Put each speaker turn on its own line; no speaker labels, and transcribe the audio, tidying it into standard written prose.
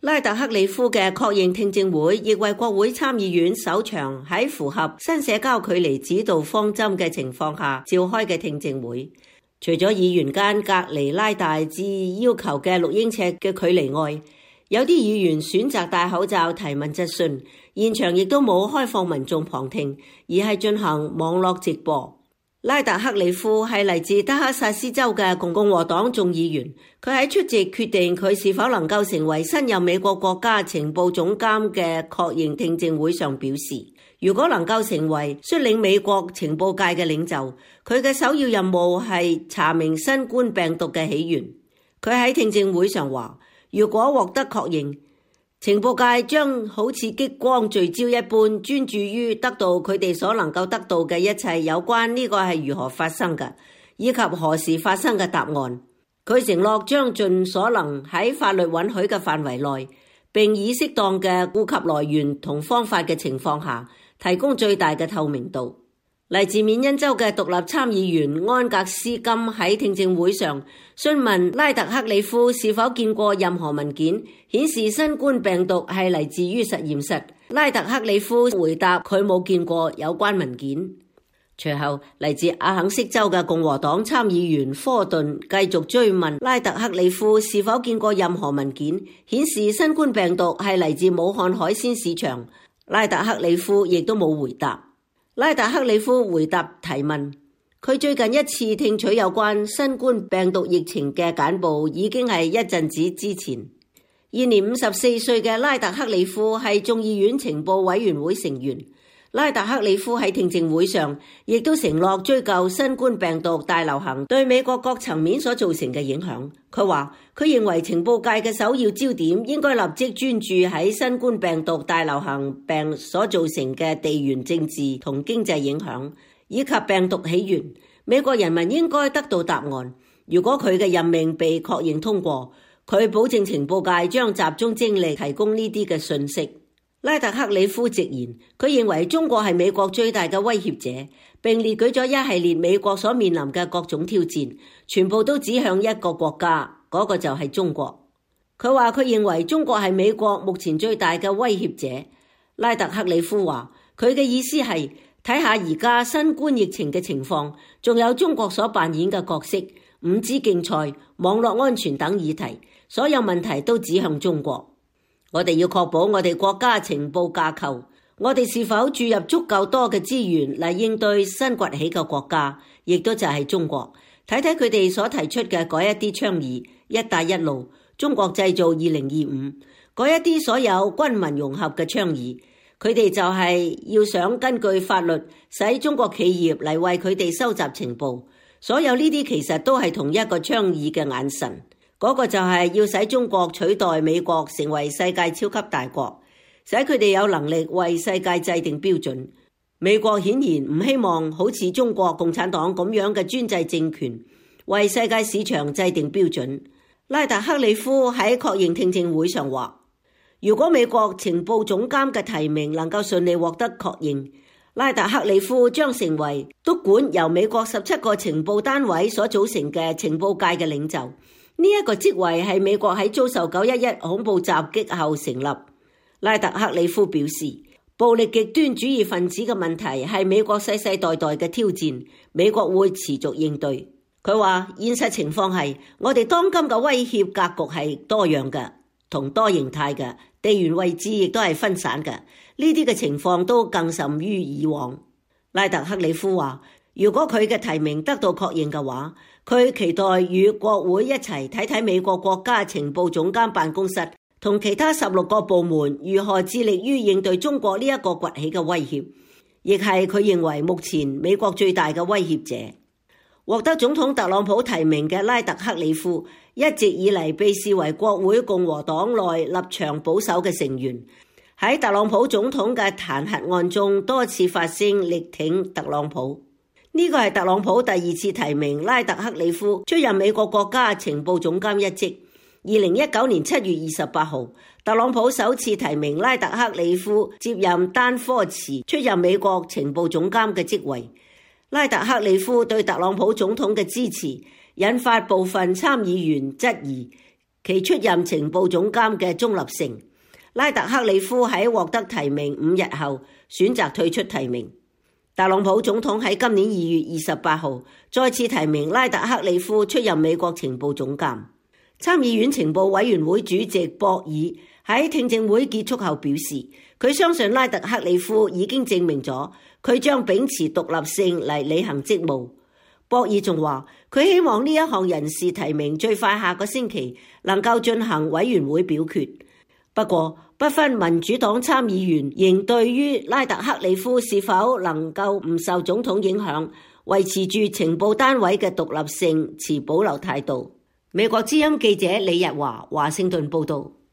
拉特克里夫嘅確認聽證會亦為國會參議院首場喺符合新社交距離指導方針嘅情況下召開嘅聽證會。除咗議員間隔離拉大至要求嘅6英尺嘅距離外，有啲議員選擇戴口罩提問質詢，現場亦都冇開放民眾旁聽，而係進行網絡直播。拉特克里夫係嚟自德克薩斯州嘅共和黨眾議員，佢喺出席決定佢是否能夠成為新任美國國家情報總監嘅確認聽證會上表示，如果能夠成為率領美國情報界嘅領袖，佢嘅首要任務係查明新冠病毒嘅起源。佢喺聽證會上話，如果獲得確認，情報界將好似激光聚焦一般專注於得到佢哋所能夠得到嘅一切有關呢個係如何發生嘅，以及何時發生嘅答案。佢承諾將盡所能喺法律允許嘅範圍內，並以適當嘅顧及來源同方法嘅情況下，提供最大嘅透明度。嚟自緬因州嘅獨立參議員安格斯金喺聽證會上詢問拉特克里夫是否見過任何文件顯示新冠病毒係嚟自於實驗室。拉特克里夫回答佢冇見過有關文件。隨後嚟自阿肯色州嘅共和黨參議員科頓繼續追問拉特克里夫是否見過任何文件顯示新冠病毒係嚟自武漢海鮮市場。拉特克里夫亦都冇回答。拉特克里夫回答提問，佢最近一次聽取有關新冠病毒疫情嘅簡報已經係一陣子之前。現年54歲嘅拉特克里夫係眾議院情報委員會成員。拉特克里夫喺聽證會上亦都承諾追究新冠病毒大流行對美國各層面所造成嘅影響。佢話佢認為情報界嘅首要焦點應該立即專注喺新冠病毒大流行病所造成嘅地緣政治同經濟影響，以及病毒起源。美國人民應該得到答案。如果佢嘅任命被確認通過，佢保證情報界將集中精力提供呢啲嘅信息。拉特克里夫直言，佢認為中國係美國最大嘅威脅者，並列舉咗一系列美國所面臨嘅各種挑戰，全部都指向一個國家，嗰個就係中國。佢話佢認為中國係美國目前最大嘅威脅者。拉特克里夫話，佢嘅意思係睇下而家新冠疫情嘅情況，仲有中國所扮演嘅角色、5G 競賽、網絡安全等議題，所有問題都指向中國。我哋要確保我哋國家情報架構，我哋是否注入足夠多嘅資源嚟應對新崛起嘅國家，亦都就係中國。睇睇佢哋所提出嘅嗰一啲倡議，一帶一路、中國製造2025，嗰一啲所有軍民融合嘅倡議，佢哋就係要想根據法律使中國企業嚟為佢哋收集情報。所有呢啲其實都係同一個倡議嘅眼神。嗰個就係要使中國取代美國成為世界超級大國，使佢哋有能力為世界制定標準。美國顯然唔希望好似中國共產黨咁樣嘅專制政權為世界市場制定標準。拉特克里夫喺確認聽證會上話，如果美國情報總監嘅提名能夠順利獲得確認，拉特克里夫將成為督管由美國17個情報單位所組成嘅情報界嘅領袖。呢一個職位係美國喺遭受911恐怖襲擊後成立。拉特克里夫表示，暴力極端主義分子嘅問題係美國世世代代嘅挑戰，美國會持續應對。佢話現實情況係我哋當今嘅威脅格局係多樣嘅同多形態嘅，地緣位置亦都係分散嘅，呢啲嘅情況都更甚於以往。拉特克里夫話，如果佢嘅提名得到確認嘅話，佢期待與國會一齊睇睇美國國家情報總監辦公室同其他16個部門如何致力於應對中國呢一個崛起嘅威脅，亦係佢認為目前美國最大嘅威脅者。獲得總統特朗普提名嘅拉特克里夫一直以嚟被視為國會共和黨內立場保守嘅成員，喺特朗普總統嘅彈劾案中多次發聲力挺特朗普。呢個係特朗普第2次提名拉特克里夫出任美國國家情報總監一職。2019年7月28號，特朗普首次提名拉特克里夫接任丹科茨出任美國情報總監嘅職位。拉特克里夫對特朗普總統嘅支持，引發部分參議員質疑其出任情報總監嘅中立性。拉特克里夫喺獲得提名5日後選擇退出提名。特朗普總統喺今年2月28號再次提名拉特克里夫出任美國情報總監。參議院情報委員會主席博爾喺聽證會結束後表示，佢相信拉特克里夫已經證明咗佢將秉持獨立性嚟履行職務。博爾仲話，佢希望呢一項人事提名最快下個星期能夠進行委員會表決。不過，不分民主黨參議員仍對於拉特克里夫是否能夠唔受總統影響，維持住情報單位嘅獨立性持保留態度。美國之音記者李日華，華盛頓報道。